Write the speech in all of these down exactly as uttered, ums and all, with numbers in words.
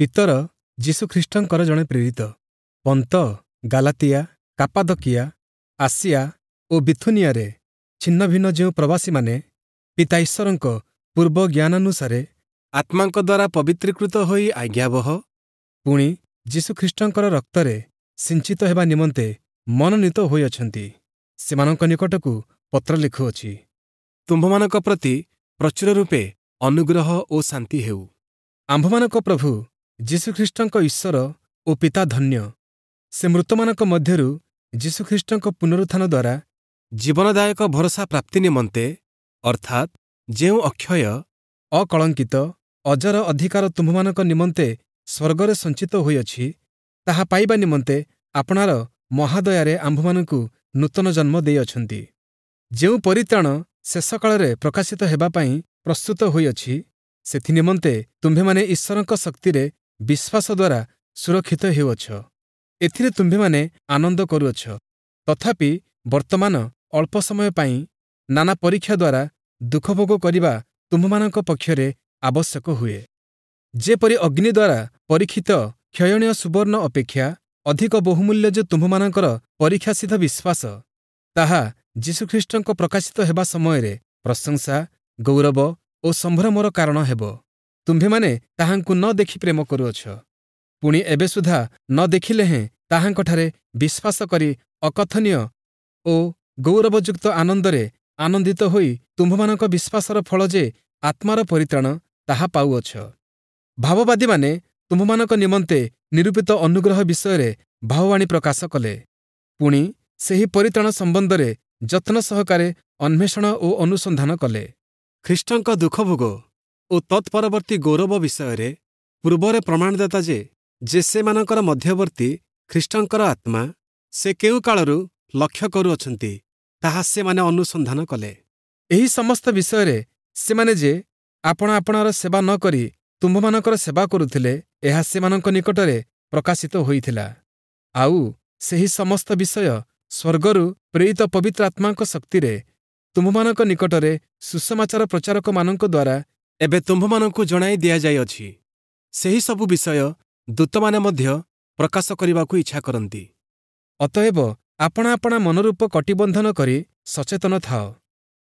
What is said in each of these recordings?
ପିତର ଯୀଶୁଖ୍ରୀଷ୍ଟଙ୍କର ଜଣେ ପ୍ରେରିତ, ପନ୍ତ, ଗାଲାତିଆ, କାପାଦକିଆ, ଆସିଆ ଓ ବିଥୁନିଆରେ ଛିନ୍ନଭିନ୍ନ ଯେଉଁ ପ୍ରବାସୀମାନେ ପିତା ଈଶ୍ୱରଙ୍କ ପୂର୍ବ ଜ୍ଞାନାନୁସାରେ ଆତ୍ମାଙ୍କ ଦ୍ୱାରା ପବିତ୍ରୀକୃତ ହୋଇ ଆଜ୍ଞାବହ, ପୁଣି ଯୀଶୁଖ୍ରୀଷ୍ଟଙ୍କର ରକ୍ତରେ ସିଞ୍ଚିତ ହେବା ନିମନ୍ତେ ମନୋନୀତ ହୋଇଅଛନ୍ତି, ସେମାନଙ୍କ ନିକଟକୁ ପତ୍ର ଲେଖୁଅଛି। ତୁମ୍ଭମାନଙ୍କ ପ୍ରତି ପ୍ରଚୁର ରୂପେ ଅନୁଗ୍ରହ ଓ ଶାନ୍ତି ହେଉ। ଆମ୍ଭମାନଙ୍କ ପ୍ରଭୁ ଯୀଶୁଖ୍ରୀଷ୍ଟଙ୍କ ଈଶ୍ୱର ଓ ପିତା ଧନ୍ୟ। ସେ ମୃତମାନଙ୍କ ମଧ୍ୟରୁ ଯୀଶୁଖ୍ରୀଷ୍ଟଙ୍କ ପୁନରୁତ୍ଥାନ ଦ୍ୱାରା ଜୀବନଦାୟକ ଭରସା ପ୍ରାପ୍ତି ନିମନ୍ତେ, ଅର୍ଥାତ୍ ଯେଉଁ ଅକ୍ଷୟ, ଅକଳଙ୍କିତ, ଅଜର ଅଧିକାର ତୁମ୍ଭମାନଙ୍କ ନିମନ୍ତେ ସ୍ୱର୍ଗରେ ସଞ୍ଚିତ ହୋଇଅଛି, ତାହା ପାଇବା ନିମନ୍ତେ ଆପଣାର ମହାଦୟାରେ ଆମ୍ଭମାନଙ୍କୁ ନୂତନ ଜନ୍ମ ଦେଇଅଛନ୍ତି। ଯେଉଁ ପରିତ୍ରାଣ ଶେଷକାଳରେ ପ୍ରକାଶିତ ହେବା ପାଇଁ ପ୍ରସ୍ତୁତ ହୋଇଅଛି, ସେଥିନିମନ୍ତେ ତୁମ୍ଭେମାନେ ଈଶ୍ୱରଙ୍କ ଶକ୍ତିରେ ବିଶ୍ୱାସ ଦ୍ୱାରା ସୁରକ୍ଷିତ ହେଉଅଛ। ଏଥିରେ ତୁମ୍ଭେମାନେ ଆନନ୍ଦ କରୁଅଛ, ତଥାପି ବର୍ତ୍ତମାନ ଅଳ୍ପ ସମୟ ପାଇଁ ନାନା ପରୀକ୍ଷା ଦ୍ୱାରା ଦୁଃଖଭୋଗ କରିବା ତୁମ୍ଭମାନଙ୍କ ପକ୍ଷରେ ଆବଶ୍ୟକ ହୁଏ। ଯେପରି ଅଗ୍ନି ଦ୍ୱାରା ପରୀକ୍ଷିତ କ୍ଷୟଣୀୟ ସୁବର୍ଣ୍ଣ ଅପେକ୍ଷା ଅଧିକ ବହୁମୂଲ୍ୟ ଯେ ତୁମ୍ଭମାନଙ୍କର ପରୀକ୍ଷାସିଦ୍ଧ ବିଶ୍ୱାସ, ତାହା ଯୀଶୁଖ୍ରୀଷ୍ଟଙ୍କ ପ୍ରକାଶିତ ହେବା ସମୟରେ ପ୍ରଶଂସା, ଗୌରବ ଓ ସମ୍ଭ୍ରମର କାରଣ ହେବ। ତୁମ୍ଭେମାନେ ତାହାଙ୍କୁ ନ ଦେଖି ପ୍ରେମ କରୁଅଛ। ପୁଣି ଏବେ ସୁଦ୍ଧା ନ ଦେଖିଲେ ହେଁ ତାହାଙ୍କଠାରେ ବିଶ୍ୱାସ କରି ଅକଥନୀୟ ଓ ଗୌରବଯୁକ୍ତ ଆନନ୍ଦରେ ଆନନ୍ଦିତ ହୋଇ ତୁମ୍ଭମାନଙ୍କ ବିଶ୍ୱାସର ଫଳ ଯେ ଆତ୍ମାର ପରିତ୍ରାଣ, ତାହା ପାଉଅଛ। ଭାବବାଦୀମାନେ ତୁମ୍ଭମାନଙ୍କ ନିମନ୍ତେ ନିରୂପିତ ଅନୁଗ୍ରହ ବିଷୟରେ ଭାବବାଣୀ ପ୍ରକାଶ କଲେ। ପୁଣି ସେହି ପରିତ୍ରାଣ ସମ୍ବନ୍ଧରେ ଯତ୍ନ ସହକାରେ ଅନ୍ୱେଷଣ ଓ ଅନୁସନ୍ଧାନ କଲେ। ଖ୍ରୀଷ୍ଟଙ୍କ ଦୁଃଖଭୋଗ ଓ ତତ୍ପରବର୍ତ୍ତୀ ଗୌରବ ବିଷୟରେ ପୂର୍ବରେ ପ୍ରମାଣଦାତା ଯେ ଯେ ସେମାନଙ୍କର ମଧ୍ୟବର୍ତ୍ତୀ ଖ୍ରୀଷ୍ଟଙ୍କର ଆତ୍ମା, ସେ କେଉଁ କାଳରୁ ଲକ୍ଷ୍ୟ କରୁଅଛନ୍ତି, ତାହା ସେମାନେ ଅନୁସନ୍ଧାନ କଲେ। ଏହି ସମସ୍ତ ବିଷୟରେ ସେମାନେ ଯେ ଆପଣା ଆପଣାର ସେବା ନ କରି ତୁମ୍ଭମାନଙ୍କର ସେବା କରୁଥିଲେ, ଏହା ସେମାନଙ୍କ ନିକଟରେ ପ୍ରକାଶିତ ହୋଇଥିଲା। ଆଉ ସେହି ସମସ୍ତ ବିଷୟ ସ୍ୱର୍ଗରୁ ପ୍ରେରିତ ପବିତ୍ର ଆତ୍ମାଙ୍କ ଶକ୍ତିରେ ତୁମ୍ଭମାନଙ୍କ ନିକଟରେ ସୁସମାଚାର ପ୍ରଚାରକମାନଙ୍କ ଦ୍ୱାରା ଏବେ ତୁମ୍ଭମାନଙ୍କୁ ଜଣାଇ ଦିଆଯାଇଅଛି। ସେହି ସବୁ ବିଷୟ ଦୂତମାନେ ମଧ୍ୟ ପ୍ରକାଶ କରିବାକୁ ଇଚ୍ଛା କରନ୍ତି। ଅତଏବ ଆପଣା ଆପଣା ମନରୂପ କଟିବନ୍ଧନ କରି ସଚେତନ ଥାଅ।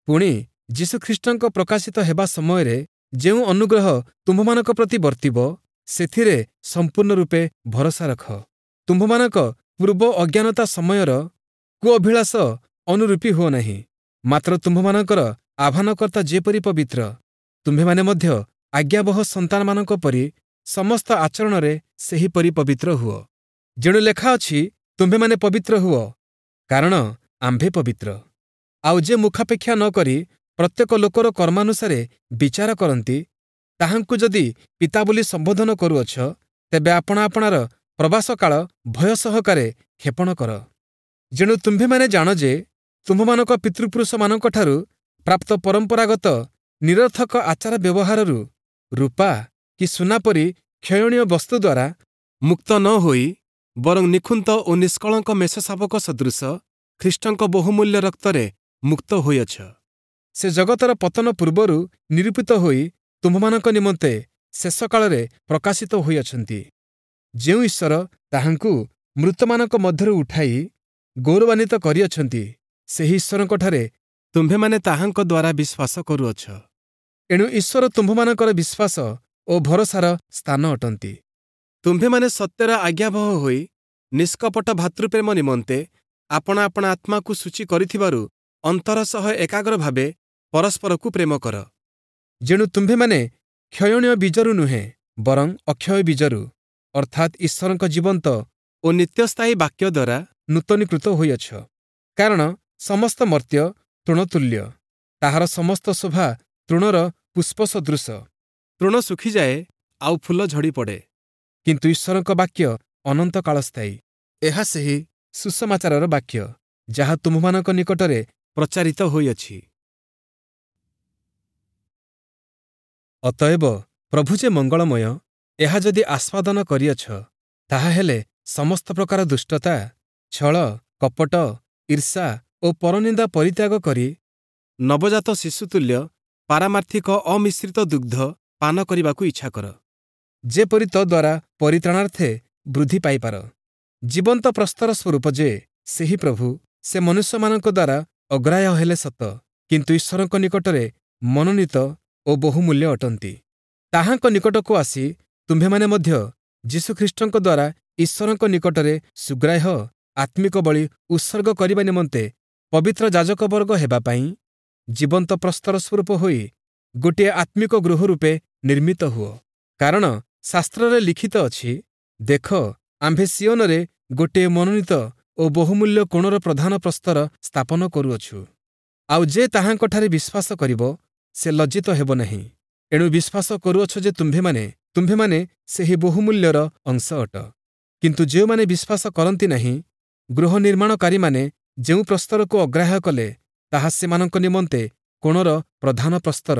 ପୁଣି ଯୀଶୁଖ୍ରୀଷ୍ଟଙ୍କ ପ୍ରକାଶିତ ହେବା ସମୟରେ ଯେଉଁ ଅନୁଗ୍ରହ ତୁମ୍ଭମାନଙ୍କ ପ୍ରତି ବର୍ତ୍ତିବ, ସେଥିରେ ସମ୍ପୂର୍ଣ୍ଣ ରୂପେ ଭରସା ରଖ। ତୁମ୍ଭମାନଙ୍କ ପୂର୍ବ ଅଜ୍ଞାନତା ସମୟର କୁଅଭିଳାଷ ଅନୁରୂପୀ ହୁଅ ନାହିଁ, ମାତ୍ର ତୁମ୍ଭମାନଙ୍କର ଆହ୍ୱାନକର୍ତ୍ତା ଯେପରି ପବିତ୍ର, ତୁମ୍ଭେମାନେ ମଧ୍ୟ ଆଜ୍ଞାବହ ସନ୍ତାନମାନଙ୍କ ପରି ସମସ୍ତ ଆଚରଣରେ ସେହିପରି ପବିତ୍ର ହୁଅ। ଯେଣୁ ଲେଖା ଅଛି, ତୁମ୍ଭେମାନେ ପବିତ୍ର ହୁଅ, କାରଣ ଆମ୍ଭେ ପବିତ୍ର। ଆଉ ଯେ ମୁଖାପେକ୍ଷା ନ କରି ପ୍ରତ୍ୟେକ ଲୋକର କର୍ମାନୁସାରେ ବିଚାର କରନ୍ତି, ତାହାଙ୍କୁ ଯଦି ପିତା ବୋଲି ସମ୍ବୋଧନ କରୁଅଛ, ତେବେ ଆପଣା ଆପଣାର ପ୍ରବାସକାଳ ଭୟ ସହକାରେ କ୍ଷେପଣ କର। ଯେଣୁ ତୁମ୍ଭେମାନେ ଜାଣ ଯେ ତୁମ୍ଭମାନଙ୍କ ପିତୃପୁରୁଷମାନଙ୍କଠାରୁ ପ୍ରାପ୍ତ ପରମ୍ପରାଗତ ନିରର୍ଥକ ଆଚାର ବ୍ୟବହାରରୁ ରୂପା କି ସୁନା ପରି କ୍ଷୟଣୀୟ ବସ୍ତୁ ଦ୍ୱାରା ମୁକ୍ତ ନ ହୋଇ, ବରଂ ନିଖୁନ୍ତ ଓ ନିଷ୍କଳଙ୍କ ମେଷଶାବକ ସଦୃଶ ଖ୍ରୀଷ୍ଟଙ୍କ ବହୁମୂଲ୍ୟ ରକ୍ତରେ ମୁକ୍ତ ହୋଇଅଛ। ସେ ଜଗତର ପତନ ପୂର୍ବରୁ ନିରୂପିତ ହୋଇ ତୁମ୍ଭମାନଙ୍କ ନିମନ୍ତେ ଶେଷକାଳରେ ପ୍ରକାଶିତ ହୋଇଅଛନ୍ତି। ଯେଉଁ ଈଶ୍ୱର ତାହାଙ୍କୁ ମୃତମାନଙ୍କ ମଧ୍ୟରୁ ଉଠାଇ ଗୌରବାନ୍ୱିତ କରିଅଛନ୍ତି, ସେହି ଈଶ୍ୱରଙ୍କଠାରେ ତୁମ୍ଭେମାନେ ତାହାଙ୍କ ଦ୍ୱାରା ବିଶ୍ୱାସ କରୁଅଛ। ଏଣୁ ଈଶ୍ୱର ତୁମ୍ଭମାନଙ୍କର ବିଶ୍ୱାସ ଓ ଭରସାର ସ୍ଥାନ ଅଟନ୍ତି। ତୁମ୍ଭେମାନେ ସତ୍ୟର ଆଜ୍ଞାବହ ହୋଇ ନିଷ୍କପଟ ଭାତୃପ୍ରେମ ନିମନ୍ତେ ଆପଣା ଆପଣା ଆତ୍ମାକୁ ସୂଚୀ କରିଥିବାରୁ ଅନ୍ତର ସହ ଏକାଗ୍ର ଭାବେ ପରସ୍ପରକୁ ପ୍ରେମ କର। ଯେଣୁ ତୁମ୍ଭେମାନେ କ୍ଷୟଣୀୟ ବୀଜରୁ ନୁହେଁ, ବରଂ ଅକ୍ଷୟ ବୀଜରୁ, ଅର୍ଥାତ୍ ଈଶ୍ୱରଙ୍କ ଜୀବନ୍ତ ଓ ନିତ୍ୟସ୍ଥାୟୀ ବାକ୍ୟ ଦ୍ୱାରା ନୂତନୀକୃତ ହୋଇଅଛ। କାରଣ ସମସ୍ତ ମର୍ତ୍ତ୍ୟ ତୃଣତୁଲ୍ୟ, ତାହାର ସମସ୍ତ ଶୋଭା ତୃଣର ପୁଷ୍ପ ସଦୃଶ। ତୃଣ ଶୁଖିଯାଏ ଆଉ ଫୁଲ ଝଡ଼ି ପଡ଼େ, କିନ୍ତୁ ଈଶ୍ୱରଙ୍କ ବାକ୍ୟ ଅନନ୍ତ କାଳସ୍ଥାୟୀ। ଏହା ସେହି ସୁସମାଚାରର ବାକ୍ୟ, ଯାହା ତୁମ୍ଭମାନଙ୍କ ନିକଟରେ ପ୍ରଚାରିତ ହୋଇଅଛି। ଅତଏବ ପ୍ରଭୁ ଯେ ମଙ୍ଗଳମୟ, ଏହା ଯଦି ଆସ୍ୱାଦନ କରିଅଛ, ତାହାହେଲେ ସମସ୍ତ ପ୍ରକାର ଦୁଷ୍ଟତା, ଛଳ, କପଟ, ଈର୍ଷା ଓ ପରନିନ୍ଦା ପରିତ୍ୟାଗ କରି ନବଜାତ ଶିଶୁତୁଲ୍ୟ ପାରମାର୍ଥିକ ଅମିଶ୍ରିତ ଦୁଗ୍ଧ ପାନ କରିବାକୁ ଇଚ୍ଛା କର। ଯେପରି ତଦ୍ୱାରା ପରିତ୍ରାଣାର୍ଥେ ବୃଦ୍ଧି ପାଇପାର। ଜୀବନ୍ତ ପ୍ରସ୍ତର ସ୍ୱରୂପ ଯେ ସେହି ପ୍ରଭୁ, ସେ ମନୁଷ୍ୟମାନଙ୍କ ଦ୍ୱାରା ଅଗ୍ରାହ୍ୟ ହେଲେ ସତ, କିନ୍ତୁ ଈଶ୍ୱରଙ୍କ ନିକଟରେ ମନୋନୀତ ଓ ବହୁମୂଲ୍ୟ ଅଟନ୍ତି। ତାହାଙ୍କ ନିକଟକୁ ଆସି ତୁମ୍ଭେମାନେ ମଧ୍ୟ ଯୀଶୁଖ୍ରୀଷ୍ଟଙ୍କ ଦ୍ୱାରା ଈଶ୍ୱରଙ୍କ ନିକଟରେ ସୁଗ୍ରାହ୍ୟ ଆତ୍ମିକ ବଳି ଉତ୍ସର୍ଗ କରିବା ନିମନ୍ତେ ପବିତ୍ର ଯାଜକବର୍ଗ ହେବା ପାଇଁ ଜୀବନ୍ତ ପ୍ରସ୍ତର ସ୍ୱରୂପ ହୋଇ ଗୋଟିଏ ଆତ୍ମିକ ଗୃହ ରୂପେ ନିର୍ମିତ ହୁଅ। କାରଣ ଶାସ୍ତ୍ରରେ ଲିଖିତ ଅଛି, ଦେଖ, ଆମ୍ଭେ ସିୟୋନରେ ଗୋଟିଏ ମନୋନୀତ ଓ ବହୁମୂଲ୍ୟ କୋଣର ପ୍ରଧାନ ପ୍ରସ୍ତର ସ୍ଥାପନ କରୁଅଛୁ, ଆଉ ଯେ ତାହାଙ୍କଠାରେ ବିଶ୍ୱାସ କରିବ, ସେ ଲଜ୍ଜିତ ହେବ ନାହିଁ। ଏଣୁ ବିଶ୍ୱାସ କରୁଅଛ ଯେ ତୁମ୍ଭେମାନେ ତୁମ୍ଭେମାନେ ସେହି ବହୁମୂଲ୍ୟର ଅଂଶ ଅଟ। କିନ୍ତୁ ଯେଉଁମାନେ ବିଶ୍ୱାସ କରନ୍ତି ନାହିଁ, ଗୃହ ନିର୍ମାଣକାରୀମାନେ ଯେଉଁ ପ୍ରସ୍ତରକୁ ଅଗ୍ରାହ୍ୟ କଲେ, ତାହା ସେମାନଙ୍କ ନିମନ୍ତେ କୋଣର ପ୍ରଧାନ ପ୍ରସ୍ତର,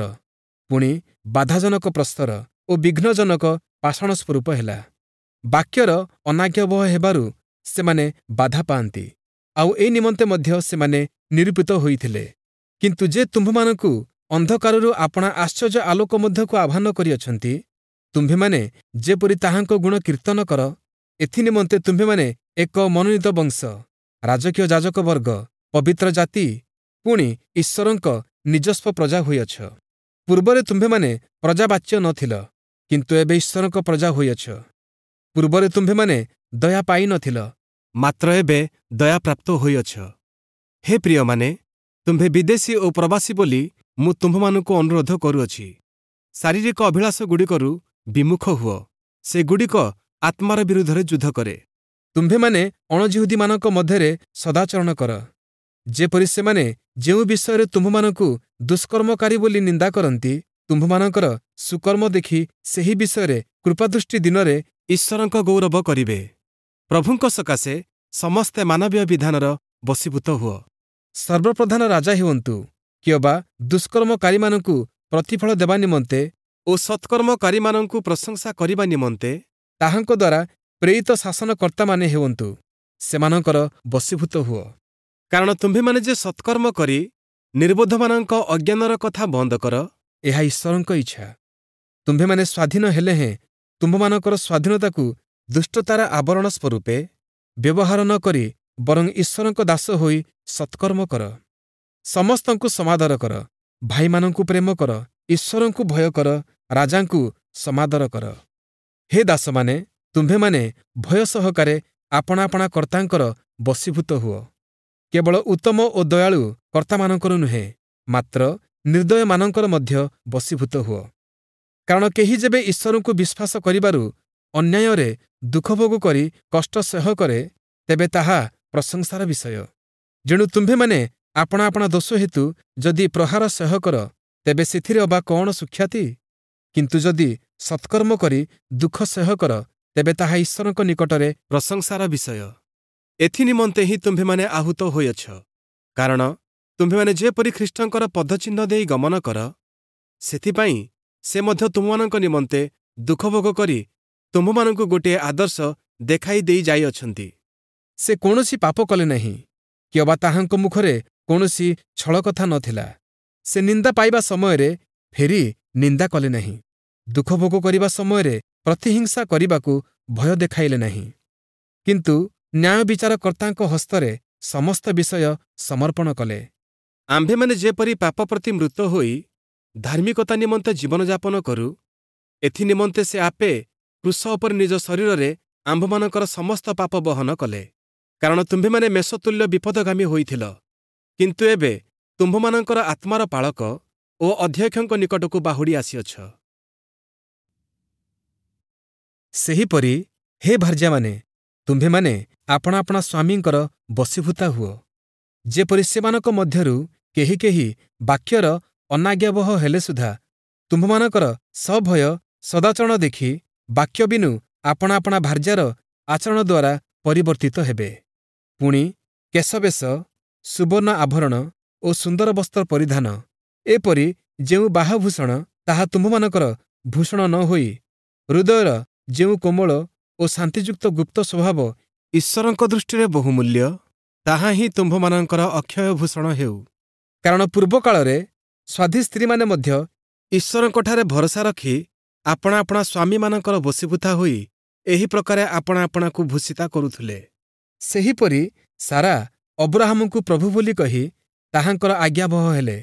ପୁଣି ବାଧାଜନକ ପ୍ରସ୍ତର ଓ ବିଘ୍ନଜନକ ପାଷାଣ ସ୍ୱରୂପ ହେଲା। ବାକ୍ୟର ଅନାଜ୍ଞାବହ ହେବାରୁ ସେମାନେ ବାଧା ପାଆନ୍ତି, ଆଉ ଏ ନିମନ୍ତେ ମଧ୍ୟ ସେମାନେ ନିରୂପିତ ହୋଇଥିଲେ। କିନ୍ତୁ ଯେ ତୁମ୍ଭମାନଙ୍କୁ ଅନ୍ଧକାରରୁ ଆପଣା ଆଶ୍ଚର୍ଯ୍ୟ ଆଲୋକ ମଧ୍ୟକୁ ଆହ୍ୱାନ କରିଅଛନ୍ତି, ତୁମ୍ଭେମାନେ ଯେପରି ତାହାଙ୍କ ଗୁଣ କୀର୍ତ୍ତନ କର, ଏଥିନିମନ୍ତେ ତୁମ୍ଭେମାନେ ଏକ ମନୋନୀତ ବଂଶ, ରାଜକୀୟ ଯାଜକ ବର୍ଗ, ପବିତ୍ର ଜାତି, ପୁଣି ଈଶ୍ୱରଙ୍କ ନିଜସ୍ୱ ପ୍ରଜା ହୋଇଅଛ। ପୂର୍ବରେ ତୁମ୍ଭେମାନେ ପ୍ରଜାବାଚ୍ୟ ନଥିଲ, କିନ୍ତୁ ଏବେ ଈଶ୍ୱରଙ୍କ ପ୍ରଜା ହୋଇଅଛ। ପୂର୍ବରେ ତୁମ୍ଭେମାନେ ଦୟା ପାଇନଥିଲ, ମାତ୍ର ଏବେ ଦୟାପ୍ରାପ୍ତ ହୋଇଅଛ। ହେ ପ୍ରିୟମାନେ, ତୁମ୍ଭେ ବିଦେଶୀ ଓ ପ୍ରବାସୀ ବୋଲି ମୁଁ ତୁମ୍ଭମାନଙ୍କୁ ଅନୁରୋଧ କରୁଅଛି, ଶାରୀରିକ ଅଭିଳାଷଗୁଡ଼ିକରୁ ବିମୁଖ ହୁଅ, ସେଗୁଡ଼ିକ ଆତ୍ମାର ବିରୁଦ୍ଧରେ ଯୁଦ୍ଧ କରେ। ତୁମ୍ଭେମାନେ ଅଣଯିହୁଦୀମାନଙ୍କ ମଧ୍ୟରେ ସଦାଚରଣ କର, ଯେପରି ସେମାନେ ଯେଉଁ ବିଷୟରେ ତୁମ୍ଭମାନଙ୍କୁ ଦୁଷ୍କର୍ମକାରୀ ବୋଲି ନିନ୍ଦା କରନ୍ତି, ତୁମ୍ଭମାନଙ୍କର ସୁକର୍ମ ଦେଖି ସେହି ବିଷୟରେ କୃପାଦୃଷ୍ଟି ଦିନରେ ଈଶ୍ୱରଙ୍କ ଗୌରବ କରିବେ। ପ୍ରଭୁଙ୍କ ସକାଶେ ସମସ୍ତେ ମାନବୀୟ ବିଧାନର ବଶୀଭୂତ ହୁଅ। ସର୍ବପ୍ରଧାନ ରାଜା ହୁଅନ୍ତୁ କିଅବା ଦୁଷ୍କର୍ମକାରୀମାନଙ୍କୁ ପ୍ରତିଫଳ ଦେବା ନିମନ୍ତେ ଓ ସତ୍କର୍ମକାରୀମାନଙ୍କୁ ପ୍ରଶଂସା କରିବା ନିମନ୍ତେ ତାହାଙ୍କ ଦ୍ୱାରା ପ୍ରେରିତ ଶାସନକର୍ତ୍ତାମାନେ ହୁଅନ୍ତୁ, ସେମାନଙ୍କର ବଶୀଭୂତ ହୁଅ। କାରଣ ତୁମ୍ଭେମାନେ ଯେ ସତ୍କର୍ମ କରି ନିର୍ବୋଧମାନଙ୍କ ଅଜ୍ଞାନର କଥା ବନ୍ଦ କର, ଏହା ଈଶ୍ୱରଙ୍କ ଇଚ୍ଛା। ତୁମ୍ଭେମାନେ ସ୍ୱାଧୀନ ହେଲେ ହେଁ ତୁମ୍ଭମାନଙ୍କର ସ୍ୱାଧୀନତାକୁ ଦୁଷ୍ଟତାର ଆବରଣ ସ୍ୱରୂପେ ବ୍ୟବହାର ନ କରି ବରଂ ଈଶ୍ୱରଙ୍କ ଦାସ ହୋଇ ସତ୍କର୍ମ କର। ସମସ୍ତଙ୍କୁ ସମାଦର କର, ଭାଇମାନଙ୍କୁ ପ୍ରେମ କର, ଈଶ୍ୱରଙ୍କୁ ଭୟ କର, ରାଜାଙ୍କୁ ସମାଦର କର। ହେ ଦାସମାନେ, ତୁମ୍ଭେମାନେ ଭୟ ସହକାରେ ଆପଣା ଆପଣା କର୍ତ୍ତାଙ୍କର ବଶୀଭୂତ ହୁଅ, କେବଳ ଉତ୍ତମ ଓ ଦୟାଳୁ କର୍ତ୍ତାମାନଙ୍କର ନୁହେଁ, ମାତ୍ର ନିର୍ଦ୍ଦୟମାନଙ୍କର ମଧ୍ୟ ବଶୀଭୂତ ହୁଅ। କାରଣ କେହି ଯେବେ ଈଶ୍ୱରଙ୍କୁ ବିଶ୍ୱାସ କରିବାରୁ ଅନ୍ୟାୟରେ ଦୁଃଖଭୋଗ କରି କଷ୍ଟ ସହ୍ୟ କରେ, ତେବେ ତାହା ପ୍ରଶଂସାର ବିଷୟ। ଯେଣୁ ତୁମ୍ଭେମାନେ ଆପଣା ଆପଣା ଦୋଷ ହେତୁ ଯଦି ପ୍ରହାର ସହ୍ୟ କର, ତେବେ ସେଥିରେ ଅବା କ'ଣ ସୁଖ୍ୟାତି? କିନ୍ତୁ ଯଦି ସତ୍କର୍ମ କରି ଦୁଃଖ ସହ୍ୟ କର, ତେବେ ତାହା ଈଶ୍ୱରଙ୍କ ନିକଟରେ ପ୍ରଶଂସାର ବିଷୟ। ଏଥିନିମନ୍ତେ ହିଁ ତୁମ୍ଭେମାନେ ଆହୁତ ହୋଇଅଛ, କାରଣ ତୁମ୍ଭେମାନେ ଯେପରି ଖ୍ରୀଷ୍ଟଙ୍କର ପଦଚିହ୍ନ ଦେଇ ଗମନ କର, ସେଥିପାଇଁ ସେ ମଧ୍ୟ ତୁମମାନଙ୍କ ନିମନ୍ତେ ଦୁଃଖଭୋଗ କରି ତୁମ୍ଭମାନଙ୍କୁ ଗୋଟିଏ ଆଦର୍ଶ ଦେଖାଇ ଦେଇ ଯାଇଅଛନ୍ତି। ସେ କୌଣସି ପାପ କଲେ ନାହିଁ, କିଅବା ତାହାଙ୍କ ମୁଖରେ କୌଣସି ଛଳକଥା ନଥିଲା। ସେ ନିନ୍ଦା ପାଇବା ସମୟରେ ଫେରି ନିନ୍ଦା କଲେ ନାହିଁ, ଦୁଃଖଭୋଗ କରିବା ସମୟରେ ପ୍ରତିହିଂସା କରିବାକୁ ଭୟ ଦେଖାଇଲେ ନାହିଁ, କିନ୍ତୁ ନ୍ୟାୟ ବିଚାରକର୍ତ୍ତାଙ୍କ ହସ୍ତରେ ସମସ୍ତ ବିଷୟ ସମର୍ପଣ କଲେ। ଆମ୍ଭେମାନେ ଯେପରି ପାପ ପ୍ରତି ମୃତ ହୋଇ ଧାର୍ମିକତା ନିମନ୍ତେ ଜୀବନଯାପନ କରୁ, ଏଥିନିମନ୍ତେ ସେ ଆପେ କ୍ରୁଶ ଉପରେ ନିଜ ଶରୀରରେ ଆମ୍ଭମାନଙ୍କର ସମସ୍ତ ପାପ ବହନ କଲେ। କାରଣ ତୁମ୍ଭେମାନେ ମେଷତୁଲ୍ୟ ବିପଦଗାମୀ ହୋଇଥିଲ, କିନ୍ତୁ ଏବେ ତୁମ୍ଭମାନଙ୍କର ଆତ୍ମାର ପାଳକ ଓ ଅଧ୍ୟକ୍ଷଙ୍କ ନିକଟକୁ ବାହୁଡ଼ି ଆସିଅଛ। ସେହିପରି ହେ ଭାର୍ଯ୍ୟାମାନେ, ତୁମ୍ଭେମାନେ ଆପଣା ଆପଣା ସ୍ୱାମୀଙ୍କର ବଶୀଭୂତା ହୁଅ, ଯେପରି ସେମାନଙ୍କ ମଧ୍ୟରୁ କେହି କେହି ବାକ୍ୟର ଅନାଜ୍ଞାବହ ହେଲେ ସୁଦ୍ଧା ତୁମ୍ଭମାନଙ୍କର ସଭୟ ସଦାଚରଣ ଦେଖି ବାକ୍ୟ ବିନୁ ଆପଣା ଆପଣା ଭାର୍ଯ୍ୟାର ଆଚରଣ ଦ୍ୱାରା ପରିବର୍ତ୍ତିତ ହେବେ। ପୁଣି କେଶବେଶ, ସୁବର୍ଣ୍ଣ ଆଭରଣ ଓ ସୁନ୍ଦର ବସ୍ତ୍ର ପରିଧାନ ଏପରି ଯେଉଁ ବାହଭୂଷଣ, ତାହା ତୁମ୍ଭମାନଙ୍କର ଭୂଷଣ ନ ହୋଇ ହୃଦୟର ଯେଉଁ କୋମଳ ଓ ଶାନ୍ତିଯୁକ୍ତ ଗୁପ୍ତ ସ୍ୱଭାବ ଈଶ୍ୱରଙ୍କ ଦୃଷ୍ଟିରେ ବହୁମୂଲ୍ୟ, ତାହା ହିଁ ତୁମ୍ଭମାନଙ୍କର ଅକ୍ଷୟ ଭୂଷଣ ହେଉ। କାରଣ ପୂର୍ବକାଳରେ ସ୍ୱାଧୀ ସ୍ତ୍ରୀମାନେ ମଧ୍ୟ ଈଶ୍ୱରଙ୍କଠାରେ ଭରସା ରଖି ଆପଣା ଆପଣା ସ୍ୱାମୀମାନଙ୍କର ବଶୀଭୂତା ହୋଇ ଏହି ପ୍ରକାରେ ଆପଣା ଆପଣାକୁ ଭୂଷିତା କରୁଥିଲେ। ସେହିପରି ସାରା ଅବ୍ରାହାମଙ୍କୁ ପ୍ରଭୁ ବୋଲି କହି ତାହାଙ୍କର ଆଜ୍ଞାବହ ହେଲେ।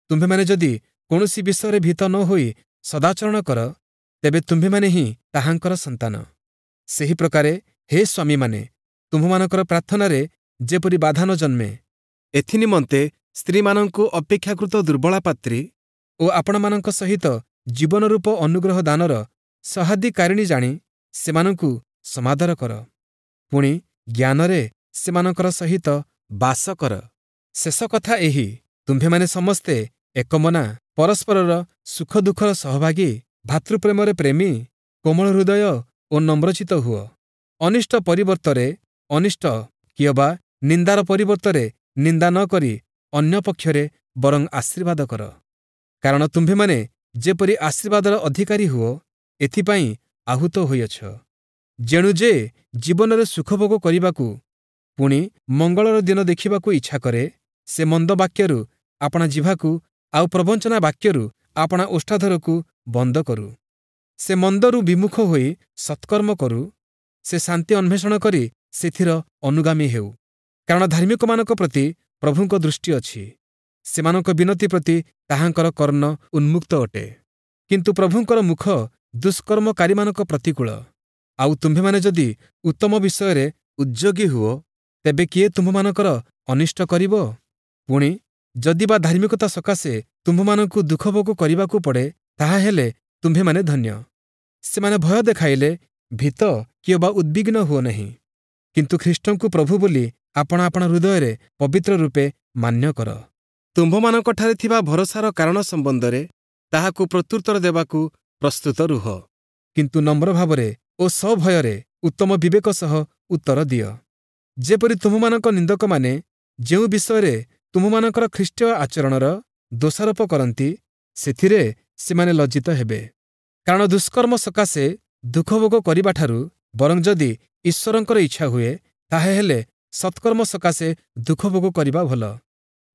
ତୁମ୍ଭେମାନେ ଯଦି କୌଣସି ବିଷୟରେ ଭୀତ ନ ହୋଇ ସଦାଚରଣ କର, ତେବେ ତୁମ୍ଭେମାନେ ହିଁ ତାହାଙ୍କର ସନ୍ତାନ। ସେହି ପ୍ରକାରେ ହେ ସ୍ୱାମୀମାନେ, ତୁମ୍ଭମାନଙ୍କର ପ୍ରାର୍ଥନାରେ ଯେପରି ବାଧା ନ ଜନ୍ମେ, ଏଥିନିମନ୍ତେ ସ୍ତ୍ରୀମାନଙ୍କୁ ଅପେକ୍ଷାକୃତ ଦୁର୍ବଳା ପାତ୍ରୀ ଓ ଆପଣମାନଙ୍କ ସହିତ ଜୀବନରୂପ ଅନୁଗ୍ରହ ଦାନର ସହାଧିକାରିଣୀ ଜାଣି ସେମାନଙ୍କୁ ସମାଦର କର। ପୁଣି ଜ୍ଞାନରେ ସେମାନଙ୍କର ସହିତ ବାସ କର। ଶେଷ କଥା ଏହି, ତୁମ୍ଭେମାନେ ସମସ୍ତେ ଏକମନା, ପରସ୍ପରର ସୁଖ ଦୁଃଖର ସହଭାଗୀ, ଭାତୃପ୍ରେମରେ ପ୍ରେମୀ, କୋମଳ ହୃଦୟ ଓ ନମ୍ରଚିତ୍ତ ହୁଅ। ଅନିଷ୍ଟ ପରିବର୍ତ୍ତରେ ଅନିଷ୍ଟ କିଅବା ନିନ୍ଦାର ପରିବର୍ତ୍ତରେ ନିନ୍ଦା ନ କରି ଅନ୍ୟ ପକ୍ଷରେ ବରଂ ଆଶୀର୍ବାଦ କର। କାରଣ ତୁମ୍ଭେମାନେ ଯେପରି ଆଶୀର୍ବାଦର ଅଧିକାରୀ ହୁଅ, ଏଥିପାଇଁ ଆହୁତ ହୋଇଅଛ। ଯେଣୁ ଯେ ଜୀବନରେ ସୁଖଭୋଗ କରିବାକୁ ପୁଣି ମଙ୍ଗଳର ଦିନ ଦେଖିବାକୁ ଇଚ୍ଛା କରେ, ସେ ମନ୍ଦ ବାକ୍ୟରୁ ଆପଣା ଜିହ୍ବାକୁ ଆଉ ପ୍ରବଞ୍ଚନା ବାକ୍ୟରୁ ଆପଣା ଓଷ୍ଠାଧରକୁ ବନ୍ଦ କରୁ। ସେ ମନ୍ଦରୁ ବିମୁଖ ହୋଇ ସତ୍କର୍ମ କରୁ, ସେ ଶାନ୍ତି ଅନ୍ୱେଷଣ କରି ସେଥିର ଅନୁଗାମୀ ହେଉ। କାରଣ ଧାର୍ମିକମାନଙ୍କ ପ୍ରତି ପ୍ରଭୁଙ୍କ ଦୃଷ୍ଟି ଅଛି, ସେମାନଙ୍କ ବିନତି ପ୍ରତି ତାହାଙ୍କର କର୍ଣ୍ଣ ଉନ୍ମୁକ୍ତ ଅଟେ। କିନ୍ତୁ ପ୍ରଭୁଙ୍କର ମୁଖ ଦୁଷ୍କର୍ମକାରୀମାନଙ୍କ ପ୍ରତିକୂଳ। ଆଉ ତୁମ୍ଭେମାନେ ଯଦି ଉତ୍ତମ ବିଷୟରେ ଉଦ୍ଯୋଗୀ ହୁଅ, ତେବେ କିଏ ତୁମ୍ଭମାନଙ୍କର ଅନିଷ୍ଟ କରିବ? ପୁଣି ଯଦି ବା ଧାର୍ମିକତା ସକାଶେ ତୁମ୍ଭମାନଙ୍କୁ ଦୁଃଖଭୋଗ କରିବାକୁ ପଡ଼େ, ତାହାହେଲେ ତୁମ୍ଭେମାନେ ଧନ୍ୟ। ସେମାନେ ଭୟ ଦେଖାଇଲେ ଭୀତ କିଅବା ଉଦ୍ବିଗ୍ନ ହୁଅ ନାହିଁ, କିନ୍ତୁ ଖ୍ରୀଷ୍ଟଙ୍କୁ ପ୍ରଭୁ ବୋଲି ଆପଣା ଆପଣା ହୃଦୟରେ ପବିତ୍ର ରୂପେ ମାନ୍ୟ କର। ତୁମ୍ଭମାନଙ୍କଠାରେ ଥିବା ଭରସାର କାରଣ ସମ୍ବନ୍ଧରେ ତାହାକୁ ପ୍ରତ୍ୟୁତ୍ତର ଦେବାକୁ ପ୍ରସ୍ତୁତ ରୁହ, କିନ୍ତୁ ନମ୍ର ଭାବରେ ଓ ସଭୟରେ ଉତ୍ତମ ବିବେକ ସହ ଉତ୍ତର ଦିଅ। ଯେପରି ତୁମ୍ଭମାନଙ୍କ ନିନ୍ଦକମାନେ ଯେଉଁ ବିଷୟରେ ତୁମ୍ଭମାନଙ୍କର ଖ୍ରୀଷ୍ଟୀୟ ଆଚରଣର ଦୋଷାରୋପ କରନ୍ତି, ସେଥିରେ ସେମାନେ ଲଜ୍ଜିତ ହେବେ। କାରଣ ଦୁଷ୍କର୍ମ ସକାଶେ ଦୁଃଖଭୋଗ କରିବାଠାରୁ ବରଂ ଯଦି ଈଶ୍ୱରଙ୍କର ଇଚ୍ଛା ହୁଏ, ତାହାହେଲେ ସତ୍କର୍ମ ସକାଶେ ଦୁଃଖଭୋଗ କରିବା ଭଲ।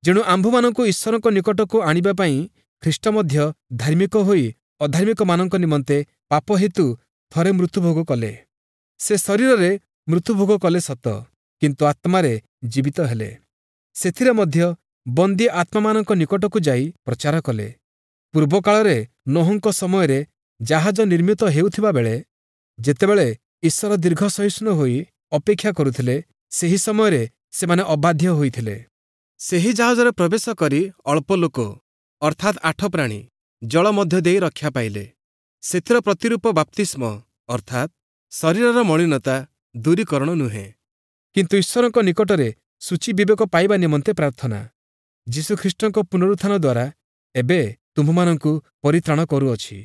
ଯେଣୁ ଆମ୍ଭମାନଙ୍କୁ ଈଶ୍ୱରଙ୍କ ନିକଟକୁ ଆଣିବା ପାଇଁ ଖ୍ରୀଷ୍ଟ ମଧ୍ୟ ଧାର୍ମିକ ହୋଇ ଅଧାର୍ମିକମାନଙ୍କ ନିମନ୍ତେ ପାପ ହେତୁ ଥରେ ମୃତ୍ୟୁଭୋଗ କଲେ। ସେ ଶରୀରରେ ମୃତ୍ୟୁଭୋଗ କଲେ ସତ, କିନ୍ତୁ ଆତ୍ମାରେ ଜୀବିତ ହେଲେ। ସେଥିରେ ମଧ୍ୟ ବନ୍ଦୀ ଆତ୍ମାମାନଙ୍କ ନିକଟକୁ ଯାଇ ପ୍ରଚାର କଲେ। ପୂର୍ବକାଳରେ ନୋହଙ୍କ ସମୟରେ ଜାହାଜ ନିର୍ମିତ ହେଉଥିବା ବେଳେ ଯେତେବେଳେ ଈଶ୍ୱର ଦୀର୍ଘ ସହିଷ୍ଣୁ ହୋଇ ଅପେକ୍ଷା କରୁଥିଲେ, ସେହି ସମୟରେ ସେମାନେ ଅବାଧ୍ୟ ହୋଇଥିଲେ। ସେହି ଜାହାଜରେ ପ୍ରବେଶ କରି ଅଳ୍ପ ଲୋକ, ଅର୍ଥାତ୍ ଆଠ ପ୍ରାଣୀ, ଜଳ ମଧ୍ୟ ଦେଇ ରକ୍ଷା ପାଇଲେ। ସେଥିର ପ୍ରତିରୂପ ବାପ୍ତିସ୍ମ, ଅର୍ଥାତ୍ ଶରୀରର ମଳିନତା ଦୂରୀକରଣ ନୁହେଁ, କିନ୍ତୁ ଈଶ୍ୱରଙ୍କ ନିକଟରେ ଶୁଚି ବିବେକ ପାଇବା ନିମନ୍ତେ ପ୍ରାର୍ଥନା ଯୀଶୁଖ୍ରୀଷ୍ଟଙ୍କ ପୁନରୁତ୍ଥାନ ଦ୍ୱାରା ଏବେ ତୁମ୍ଭମାନଙ୍କୁ ପରିତ୍ରାଣ କରୁଅଛି।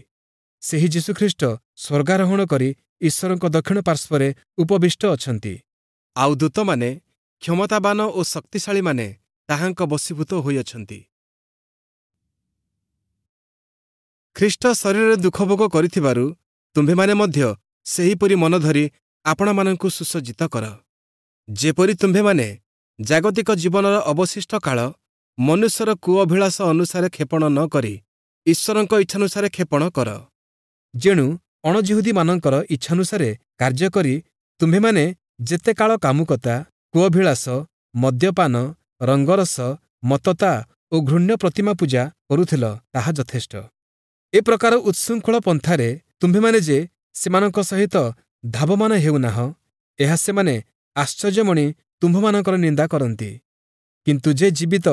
ସେହି ଯୀଶୁଖ୍ରୀଷ୍ଟ ସ୍ୱର୍ଗାରୋହଣ କରି ଈଶ୍ୱରଙ୍କ ଦକ୍ଷିଣ ପାର୍ଶ୍ୱରେ ଉପବିଷ୍ଟ ଅଛନ୍ତି। ଆଉ ଦୂତମାନେ, କ୍ଷମତାବାନ ଓ ଶକ୍ତିଶାଳୀମାନେ ତାହାଙ୍କ ବଶୀଭୂତ ହୋଇଅଛନ୍ତି। ଖ୍ରୀଷ୍ଟ ଶରୀରରେ ଦୁଃଖଭୋଗ କରିଥିବାରୁ ତୁମ୍ଭେମାନେ ମଧ୍ୟ ସେହିପରି ମନ ଧରି ଆପଣମାନଙ୍କୁ ସୁସଜ୍ଜିତ କର, ଯେପରି ତୁମ୍ଭେମାନେ ଜାଗତିକ ଜୀବନର ଅବଶିଷ୍ଟ କାଳ ମନୁଷ୍ୟର କୁଅଭିଳାଷ ଅନୁସାରେ କ୍ଷେପଣ ନ କରି ଈଶ୍ୱରଙ୍କ ଇଚ୍ଛାନୁସାରେ କ୍ଷେପଣ କର। ଯେଣୁ ଅଣଯିହୁଦୀମାନଙ୍କର ଇଚ୍ଛାନୁସାରେ କାର୍ଯ୍ୟ କରି ତୁମ୍ଭେମାନେ ଯେତେ କାଳ କାମୁକତା, କୁଅଭିଳାଷ, ମଦ୍ୟପାନ, ରଙ୍ଗରସ, ମତ୍ତତା ଓ ଘୃଣ୍ୟ ପ୍ରତିମା ପୂଜା କରୁଥିଲ, ତାହା ଯଥେଷ୍ଟ। ଏ ପ୍ରକାର ଉଚ୍ଛୃଙ୍ଖଳ ପନ୍ଥାରେ ତୁମ୍ଭେମାନେ ଯେ ସେମାନଙ୍କ ସହିତ ଧାବମାନ ହେଉନାହଁ, ଏହା ସେମାନେ ଆଶ୍ଚର୍ଯ୍ୟମଣି ତୁମ୍ଭମାନଙ୍କର ନିନ୍ଦା କରନ୍ତି। କିନ୍ତୁ ଯେ ଜୀବିତ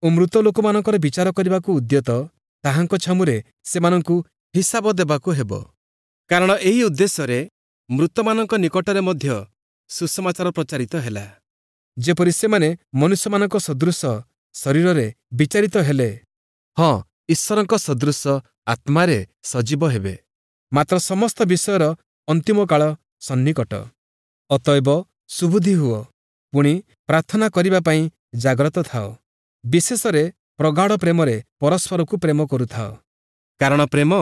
ଓ ମୃତ ଲୋକମାନଙ୍କର ବିଚାର କରିବାକୁ ଉଦ୍ୟତ, ତାହାଙ୍କ ଛାମୁରେ ସେମାନଙ୍କୁ ହିସାବ ଦେବାକୁ ହେବ। କାରଣ ଏହି ଉଦ୍ଦେଶ୍ୟରେ ମୃତମାନଙ୍କ ନିକଟରେ ମଧ୍ୟ ସୁସମାଚାର ପ୍ରଚାରିତ ହେଲା, ଯେପରି ସେମାନେ ମନୁଷ୍ୟମାନଙ୍କ ସଦୃଶ ଶରୀରରେ ବିଚାରିତ ହେଲେ, ହଁ, ଈଶ୍ୱରଙ୍କ ସଦୃଶ ଆତ୍ମାରେ ସଜୀବ ହେବେ। ମାତ୍ର ସମସ୍ତ ବିଷୟର ଅନ୍ତିମ କାଳ ସନ୍ନିକଟ। ଅତଏବ ସୁବୁଦ୍ଧି ହୁଅ, ପୁଣି ପ୍ରାର୍ଥନା କରିବା ପାଇଁ ଜାଗ୍ରତ ଥାଅ। ବିଶେଷରେ ପ୍ରଗାଢ଼ ପ୍ରେମରେ ପରସ୍ପରକୁ ପ୍ରେମ କରୁଥାଅ, କାରଣ ପ୍ରେମ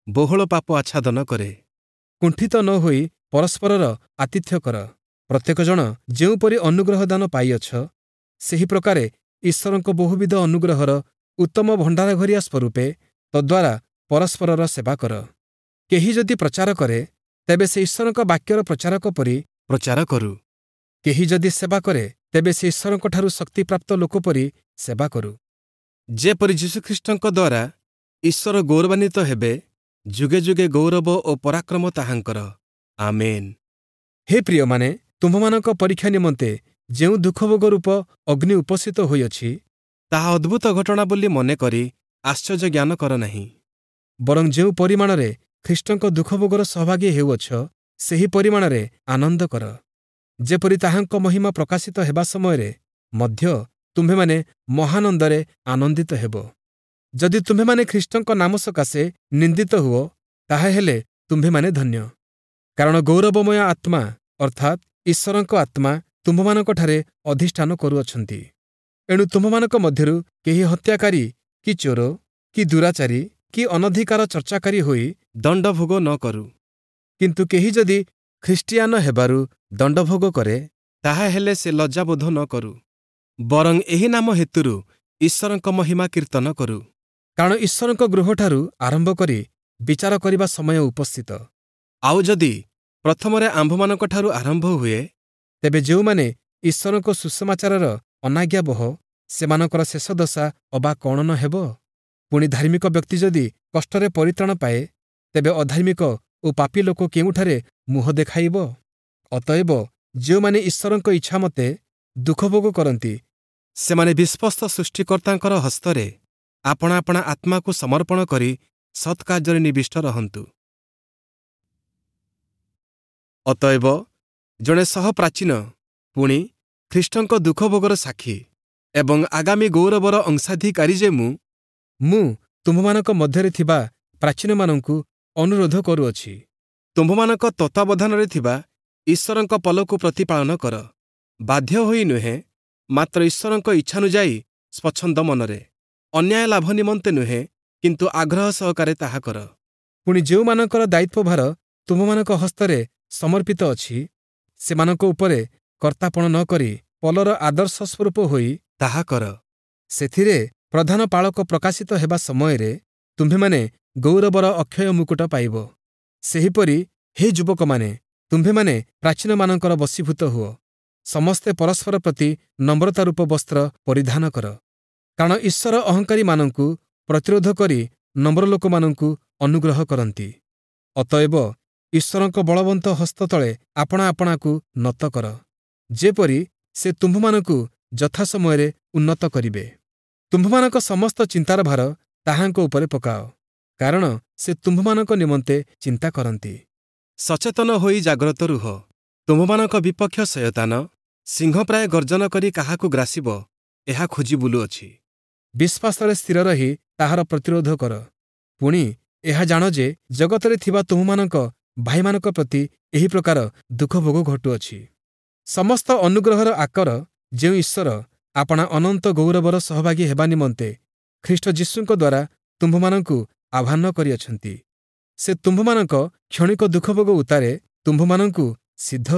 ବହୁଳ ପାପ ଆଚ୍ଛାଦନ କରେ। କୁଣ୍ଠିତ ନ ହୋଇ ପରସ୍ପରର ଆତିଥ୍ୟ କର। ପ୍ରତ୍ୟେକ ଜଣ ଯେଉଁପରି ଅନୁଗ୍ରହ ଦାନ ପାଇଅଛ, ସେହି ପ୍ରକାରେ ଈଶ୍ୱରଙ୍କ ବହୁବିଧ ଅନୁଗ୍ରହର ଉତ୍ତମ ଭଣ୍ଡାରଘରିଆ ସ୍ୱରୂପେ ତଦ୍ୱାରା ପରସ୍ପରର ସେବା କର। କେହି ଯଦି ପ୍ରଚାର କରେ, ତେବେ ସେ ଈଶ୍ୱରଙ୍କ ବାକ୍ୟର ପ୍ରଚାରକ ପରି ପ୍ରଚାର କରୁ। କେହି ଯଦି ସେବା କରେ, ତେବେ ସେ ଈଶ୍ୱରଙ୍କଠାରୁ ଶକ୍ତିପ୍ରାପ୍ତ ଲୋକ ପରି ସେବା କରୁ, ଯେପରି ଯୀଶୁଖ୍ରୀଷ୍ଟଙ୍କ ଦ୍ୱାରା ଈଶ୍ୱର ଗୌରବାନ୍ୱିତ ହେବେ। ଯୁଗେ ଯୁଗେ ଗୌରବ ଓ ପରାକ୍ରମ ତାହାଙ୍କର। ଆମେନ୍। ହେ ପ୍ରିୟମାନେ, ତୁମ୍ଭମାନଙ୍କ ପରୀକ୍ଷା ନିମନ୍ତେ ଯେଉଁ ଦୁଃଖଭୋଗ ରୂପ ଅଗ୍ନି ଉପସ୍ଥିତ ହୋଇଅଛି, ତାହା ଅଦ୍ଭୁତ ଘଟଣା ବୋଲି ମନେକରି ଆଶ୍ଚର୍ଯ୍ୟ ଜ୍ଞାନ କର ନାହିଁ। ବରଂ ଯେଉଁ ପରିମାଣରେ ଖ୍ରୀଷ୍ଟଙ୍କ ଦୁଃଖଭୋଗର ସହଭାଗୀ ହେଉଅଛ, ସେହି ପରିମାଣରେ ଆନନ୍ଦ କର, ଯେପରି ତାହାଙ୍କ ମହିମା ପ୍ରକାଶିତ ହେବା ସମୟରେ ମଧ୍ୟ ତୁମ୍ଭେମାନେ ମହାନନ୍ଦରେ ଆନନ୍ଦିତ ହେବ। ଯଦି ତୁମ୍ଭେମାନେ ଖ୍ରୀଷ୍ଟଙ୍କ ନାମ ସକାଶେ ନିନ୍ଦିତ ହୁଅ, ତାହାହେଲେ ତୁମ୍ଭେମାନେ ଧନ୍ୟ, କାରଣ ଗୌରବମୟ ଆତ୍ମା, ଅର୍ଥାତ୍ ଈଶ୍ୱରଙ୍କ ଆତ୍ମା, ତୁମ୍ଭମାନଙ୍କଠାରେ ଅଧିଷ୍ଠାନ କରୁଅଛନ୍ତି। ଏଣୁ ତୁମ୍ଭମାନଙ୍କ ମଧ୍ୟରୁ କେହି ହତ୍ୟାକାରୀ କି ଚୋର କି ଦୁରାଚାରୀ କି ଅନଧିକାର ଚର୍ଚ୍ଚାକାରୀ ହୋଇ ଦଣ୍ଡଭୋଗ ନ କରୁ। କିନ୍ତୁ କେହି ଯଦି ଖ୍ରୀଷ୍ଟିଆନ ହେବାରୁ ଦଣ୍ଡଭୋଗ କରେ, ତାହାହେଲେ ସେ ଲଜ୍ଜାବୋଧ ନ କରୁ, ବରଂ ଏହି ନାମ ହେତୁରୁ ଈଶ୍ୱରଙ୍କ ମହିମା କୀର୍ତ୍ତନ କରୁ। କାରଣ ଈଶ୍ୱରଙ୍କ ଗୃହଠାରୁ ଆରମ୍ଭ କରି ବିଚାର କରିବା ସମୟ ଉପସ୍ଥିତ। ଆଉ ଯଦି ପ୍ରଥମରେ ଆମ୍ଭମାନଙ୍କଠାରୁ ଆରମ୍ଭ ହୁଏ, ତେବେ ଯେଉଁମାନେ ଈଶ୍ୱରଙ୍କ ସୁସମାଚାରର ଅନାଜ୍ଞାବହ, ସେମାନଙ୍କର ଶେଷ ଦଶା ଅବା କ'ଣ ନ ହେବ? ପୁଣି ଧାର୍ମିକ ବ୍ୟକ୍ତି ଯଦି କଷ୍ଟରେ ପରିତ୍ରାଣ ପାଏ, ତେବେ ଅଧାର୍ମିକ ଓ ପାପୀ ଲୋକ କେଉଁଠାରେ ମୁହଁ ଦେଖାଇବ? ଅତଏବ ଯେଉଁମାନେ ଈଶ୍ୱରଙ୍କ ଇଚ୍ଛାମତେ ଦୁଃଖଭୋଗ କରନ୍ତି, ସେମାନେ ବିଶ୍ୱସ୍ତ ସୃଷ୍ଟିକର୍ତ୍ତାଙ୍କର ହସ୍ତରେ ଆପଣା ଆପଣା ଆତ୍ମାକୁ ସମର୍ପଣ କରି ସତ୍କାର୍ଯ୍ୟରେ ନିବିଷ୍ଟ ରହନ୍ତୁ। ଅତଏବ ଜଣେ ସହପ୍ରାଚୀନ, ପୁଣି ଖ୍ରୀଷ୍ଟଙ୍କ ଦୁଃଖଭୋଗର ସାକ୍ଷୀ ଏବଂ ଆଗାମୀ ଗୌରବର ଅଂଶାଧିକାରୀ ଯେ ମୁଁ, ମୁଁ ତୁମ୍ଭମାନଙ୍କ ମଧ୍ୟରେ ଥିବା ପ୍ରାଚୀନମାନଙ୍କୁ ଅନୁରୋଧ କରୁଅଛି, ତୁମ୍ଭମାନଙ୍କ ତତ୍ତ୍ୱାବଧାନରେ ଥିବା ଈଶ୍ୱରଙ୍କ ପଲକୁ ପ୍ରତିପାଳନ କର, ବାଧ୍ୟ ହୋଇ ନୁହେଁ, ମାତ୍ର ଈଶ୍ୱରଙ୍କ ଇଚ୍ଛାନୁଯାୟୀ ସ୍ୱଚ୍ଛନ୍ଦ ମନରେ, ଅନ୍ୟାୟ ଲାଭ ନିମନ୍ତେ ନୁହେଁ, କିନ୍ତୁ ଆଗ୍ରହ ସହକାରେ ତାହା କର। ପୁଣି ଯେଉଁମାନଙ୍କର ଦାୟିତ୍ୱଭାର ତୁମ୍ଭମାନଙ୍କ ହସ୍ତରେ ସମର୍ପିତ ଅଛି, ସେମାନଙ୍କ ଉପରେ କର୍ତ୍ତାପଣ ନ କରି ପଲର ଆଦର୍ଶ ସ୍ୱରୂପ ହୋଇ ତାହା କର। ସେଥିରେ ପ୍ରଧାନ ପାଳକ ପ୍ରକାଶିତ ହେବା ସମୟରେ ତୁମ୍ଭେମାନେ ଗୌରବର ଅକ୍ଷୟ ମୁକୁଟ ପାଇବ। ସେହିପରି ହେ ଯୁବକମାନେ, ତୁମ୍ଭେମାନେ ପ୍ରାଚୀନମାନଙ୍କର ବଶୀଭୂତ ହୁଅ। ସମସ୍ତେ ପରସ୍ପର ପ୍ରତି ନମ୍ରତା ରୂପ ବସ୍ତ୍ର ପରିଧାନ କର, କାରଣ ଈଶ୍ୱର ଅହଙ୍କାରୀମାନଙ୍କୁ ପ୍ରତିରୋଧ କରି ନମ୍ର ଲୋକମାନଙ୍କୁ ଅନୁଗ୍ରହ କରନ୍ତି। ଅତଏବ ଈଶ୍ୱରଙ୍କ ବଳବନ୍ତ ହସ୍ତ ତଳେ ଆପଣା ଆପଣାକୁ ନତ କର, ଯେପରି ସେ ତୁମ୍ଭମାନଙ୍କୁ ଯଥାସମୟରେ ଉନ୍ନତ କରିବେ। ତୁମ୍ଭମାନଙ୍କ ସମସ୍ତ ଚିନ୍ତାର ଭାର ତାହାଙ୍କ ଉପରେ ପକାଅ, କାରଣ ସେ ତୁମ୍ଭମାନଙ୍କ ନିମନ୍ତେ ଚିନ୍ତା କରନ୍ତି। ସଚେତନ ହୋଇ ଜାଗ୍ରତ ରୁହ। ତୁମ୍ଭମାନଙ୍କ ବିପକ୍ଷ ଶୟତାନ ସିଂହ ପ୍ରାୟ ଗର୍ଜନ କରି କାହାକୁ ଗ୍ରାସିବ, ଏହା ଖୋଜି ବୁଲୁଅଛି। ବିଶ୍ୱାସରେ ସ୍ଥିର ରହି ତାହାର ପ୍ରତିରୋଧ କର। ପୁଣି ଏହା ଜାଣ ଯେ ଜଗତରେ ଥିବା ତୁମ୍ଭମାନଙ୍କ ଭାଇମାନଙ୍କ ପ୍ରତି ଏହି ପ୍ରକାର ଦୁଃଖଭୋଗ ଘଟୁଅଛି। ସମସ୍ତ ଅନୁଗ୍ରହର ଆକର ଯେଉଁ ଈଶ୍ୱର ଆପଣା ଅନନ୍ତ ଗୌରବର ସହଭାଗୀ ହେବା ନିମନ୍ତେ ଖ୍ରୀଷ୍ଟ ଯୀଶୁଙ୍କ ଦ୍ୱାରା ତୁମ୍ଭମାନଙ୍କୁ ଆହ୍ୱାନ କରିଅଛନ୍ତି, ସେ ତୁମ୍ଭମାନଙ୍କ କ୍ଷଣିକ ଦୁଃଖଭୋଗ ଉତ୍ତାରେ ତୁମ୍ଭମାନଙ୍କୁ ସିଦ୍ଧ,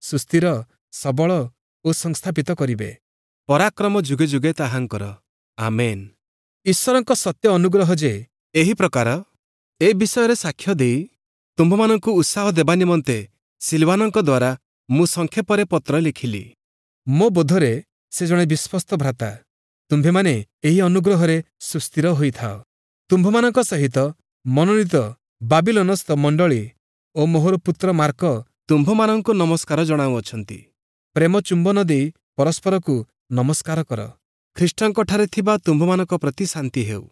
ସୁସ୍ଥିର, ସବଳ ଓ ସଂସ୍ଥାପିତ କରିବେ। ପରାକ୍ରମ ଯୁଗେ ଯୁଗେ ତାହାଙ୍କର। ଆମେନ୍। ଈଶ୍ୱରଙ୍କ ସତ୍ୟ ଅନୁଗ୍ରହ ଯେ ଏହି ପ୍ରକାର, ଏ ବିଷୟରେ ସାକ୍ଷ୍ୟ ଦେଇ ତୁମ୍ଭମାନଙ୍କୁ ଉତ୍ସାହ ଦେବା ନିମନ୍ତେ ସିଲବାନଙ୍କ ଦ୍ୱାରା ମୁଁ ସଂକ୍ଷେପରେ ପତ୍ର ଲେଖିଲି। ମୋ ବୋଧରେ ସେ ଜଣେ ବିଶ୍ୱସ୍ତ ଭ୍ରାତା। ତୁମ୍ଭେମାନେ ଏହି ଅନୁଗ୍ରହରେ ସୁସ୍ଥିର ହୋଇଥାଅ। ତୁମ୍ଭମାନଙ୍କ ସହିତ ମନୋନୀତ ବାବିଲୋନସ୍ଥ ମଣ୍ଡଳୀ ଓ ମୋହର ପୁତ୍ର ମାର୍କ ତୁମ୍ଭମାନଙ୍କୁ ନମସ୍କାର ଜଣାଉଅଛନ୍ତି। ପ୍ରେମ ଚୁମ୍ବନ ଦେଇ ପରସ୍ପରକୁ ନମସ୍କାର କର। ଖ୍ରୀଷ୍ଟଙ୍କଠାରେ ଥିବା ତୁମ୍ଭମାନଙ୍କ ପ୍ରତି ଶାନ୍ତି ହେଉ।